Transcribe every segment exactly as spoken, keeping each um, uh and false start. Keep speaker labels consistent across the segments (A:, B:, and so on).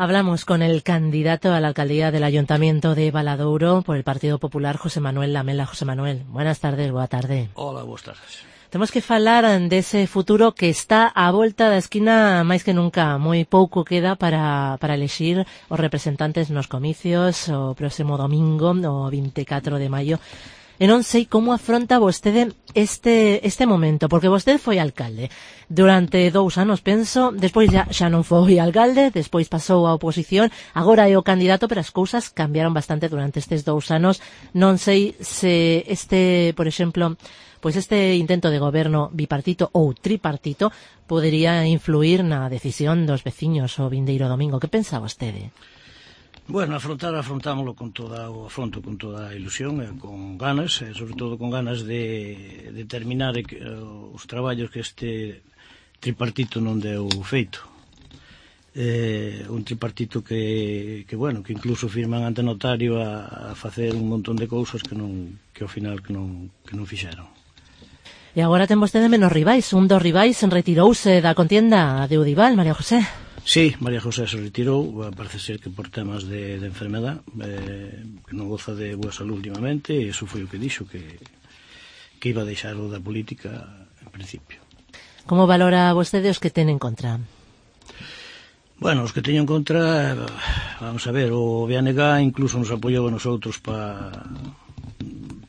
A: Hablamos con el candidato a la alcaldía del Ayuntamiento de Valadouro por el Partido Popular, José Manuel Lamela. José Manuel, buenas tardes, boa tarde.
B: Hola, boas tardes.
A: Temos que falar dese futuro que está á volta da esquina máis que nunca. Moi pouco queda para, para elexir os representantes nos comicios o próximo domingo, o vinte e catro de maio. E non sei como afronta vostede este este momento, porque vostede foi alcalde durante dous anos, penso, despois xa, xa non foi alcalde, despois pasou á oposición, agora é o candidato, pero as cousas cambiaron bastante durante estes dous anos. Non sei se este, por exemplo, pois este intento de goberno bipartito ou tripartito podería influir na decisión dos veciños o vindeiro domingo. Que pensa vostede?
B: Bueno, afrontar, afrontámoslo con toda o afronto con toda a ilusión e con ganas, e sobre todo con ganas de, de terminar e que, uh, os traballos que este tripartito non deu feito. Eh, un tripartito que, que, bueno, que incluso firman ante notario a, a facer un montón de cousas que non, que ao final que non, que non fixeron.
A: E agora ten vostede menos rivais. Un dos rivais retirouse da contienda de Udival, María José.
B: Sí, María José se retirou, parece ser que por temas de, de enfermedad, eh, que non goza de boa salud últimamente, e iso foi o que dixo, que, que iba a deixar o da política en principio.
A: Como valora vostede os que ten en contra?
B: Bueno, os que teño en contra, vamos a ver, o B N G incluso nos apoiou a nosotros para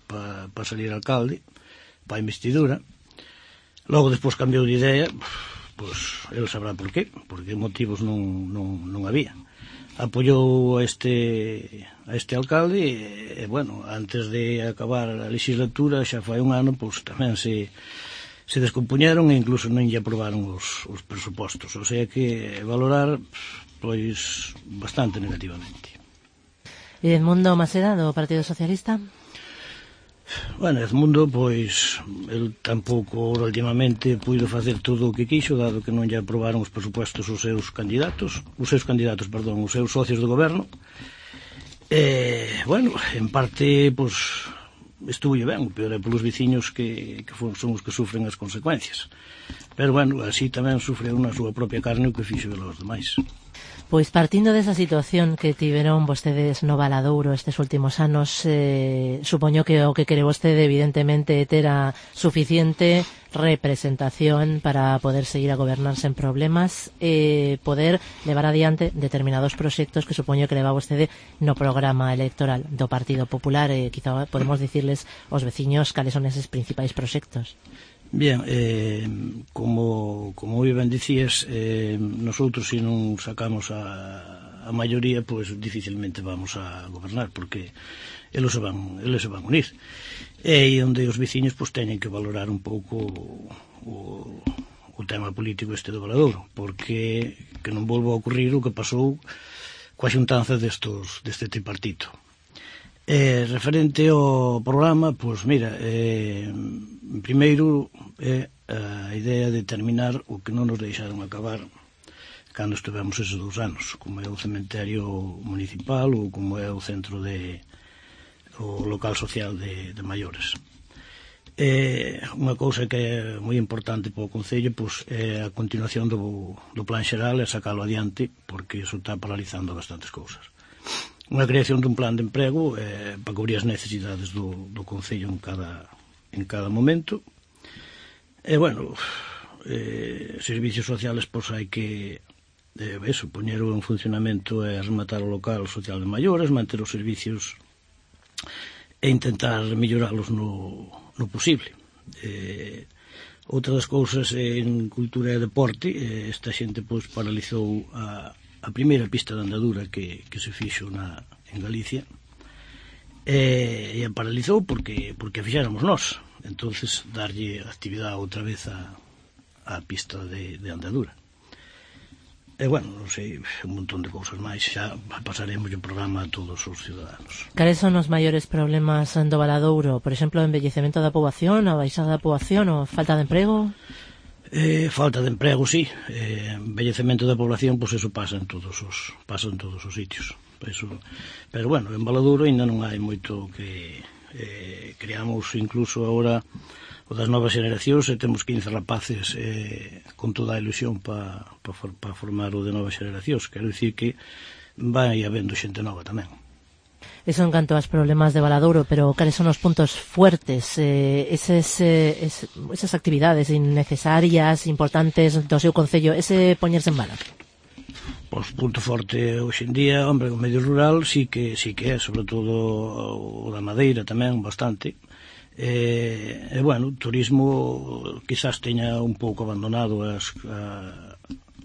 B: pa, pa salir alcalde, para a investidura. Logo despois cambiou de idea. Pois el sabrá por qué, porque motivos non, non, non había. Apoiou a este, a este alcalde e, e, bueno, antes de acabar a legislatura, xa fai un ano, pois tamén se, se descompuñeron e incluso non lle aprobaron os, os presupostos. O sea que valorar, pois, bastante negativamente.
A: E Edmundo Maseda, do Partido Socialista?
B: Bueno, Edmundo, pois, el tampouco últimamente puido facer todo o que quixo, dado que non lle aprobaron os presupuestos os seus candidatos, os seus candidatos, perdón, os seus socios de goberno. E, bueno, en parte, pois, estuvo ben, o peor é polos veciños que, que son os que sufren as consecuencias. Pero, bueno, así tamén sufre na súa propia carne o que fixo os demais.
A: Pois partindo desa situación que tiveron vostedes no Valadouro estes últimos anos, eh, supoño que o que quere vostede evidentemente é ter a suficiente representación para poder seguir a gobernar sen problemas e poder levar adiante determinados proxectos que supoño que leva vostede no programa electoral do Partido Popular e quizá podemos dicirles aos veciños cales son eses principais proxectos.
B: Bien, eh, como, como ben dicías, eh, nosotros se non sacamos a, a maioría, pois pues, dificilmente vamos a gobernar, porque eles se van, eles se van unir. E onde os veciños pues, teñen que valorar un pouco o, o tema político este do Valadouro, porque que non volva a ocurrir o que pasou coa xuntanza destos, deste tripartito. Eh, referente ao programa, pois mira, eh, primeiro é a idea de terminar o que non nos deixaron acabar cando estivemos eses dous anos, como é o cementerio municipal ou como é o centro de o local social de, de maiores. Eh, unha cousa que é moi importante para o Concello pois, é a continuación do, do plan xeral e sacalo adiante, porque iso está paralizando bastantes cousas. Unha creación dun plan de emprego eh, para cubrir as necesidades do, do Concello en cada, en cada momento. E, bueno, eh, servicios sociales, pois hai que eh, eso, poñer en funcionamento e rematar o local social de maiores, manter os servicios e intentar melloralos no, no posible. Eh, outra das cousas en cultura e deporte, eh, esta xente pois paralizou a a primeira pista de andadura que, que se fixo na, en Galicia e, e a paralizou porque, porque a fixéramos nós. Entonces darlle actividade outra vez a, a pista de, de andadura. E bueno, non sei, un montón de cousas máis, xa pasaremos o programa a todos os ciudadanos.
A: Cales son os maiores problemas do Valadouro? Por exemplo, o envellecemento da poboación, a baixada da poboación ou falta de emprego?
B: Eh, falta de emprego, sí. Eh, envellecemento da población, pois pues eso pasa en todos os pasa en todos os sitios. Eso, pero bueno, en Valadouro ainda non hai moito que eh, creamos incluso agora o das novas xeracións, e temos quince rapaces eh, con toda a ilusión para pa, pa formar o de novas xeracións. Quero dicir que vai habendo xente nova tamén.
A: Eso en canto aos problemas de Valadouro, pero cales son os puntos fuertes, eh, eses, eh, es, esas actividades innecesarias, importantes do seu concello, ese poñerse en valor?
B: Pois punto forte hoxe en día, hombre, o medio rural sí que sí que é, sobre todo o da madeira tamén, bastante. E, e bueno, o turismo quizás teña un pouco abandonado as, a,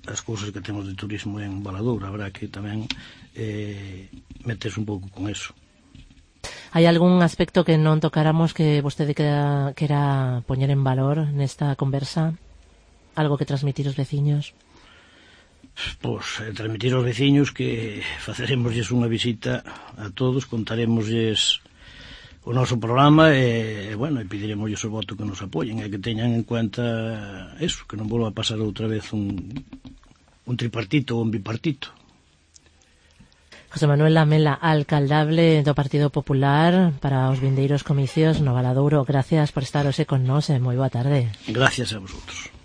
B: as cousas que temos de turismo en Valadouro, habrá que tamén eh, meterse un pouco con eso.
A: Hai algún aspecto que non tocáramos que vostede quera, quera poñer en valor nesta conversa? Algo que transmitir aos veciños?
B: Pois, eh, transmitir aos veciños que faceremosles unha visita a todos, contaremosles o noso programa e, bueno, e pediremosles o voto que nos apoyen e que teñan en cuenta eso, que non volva a pasar outra vez un, un tripartito ou un bipartito.
A: José Manuel Lamela, alcaldable do Partido Popular para os vindeiros comicios no Valadouro. Gracias por estar hoxe con nós e moi boa tarde.
B: Gracias a vosotros.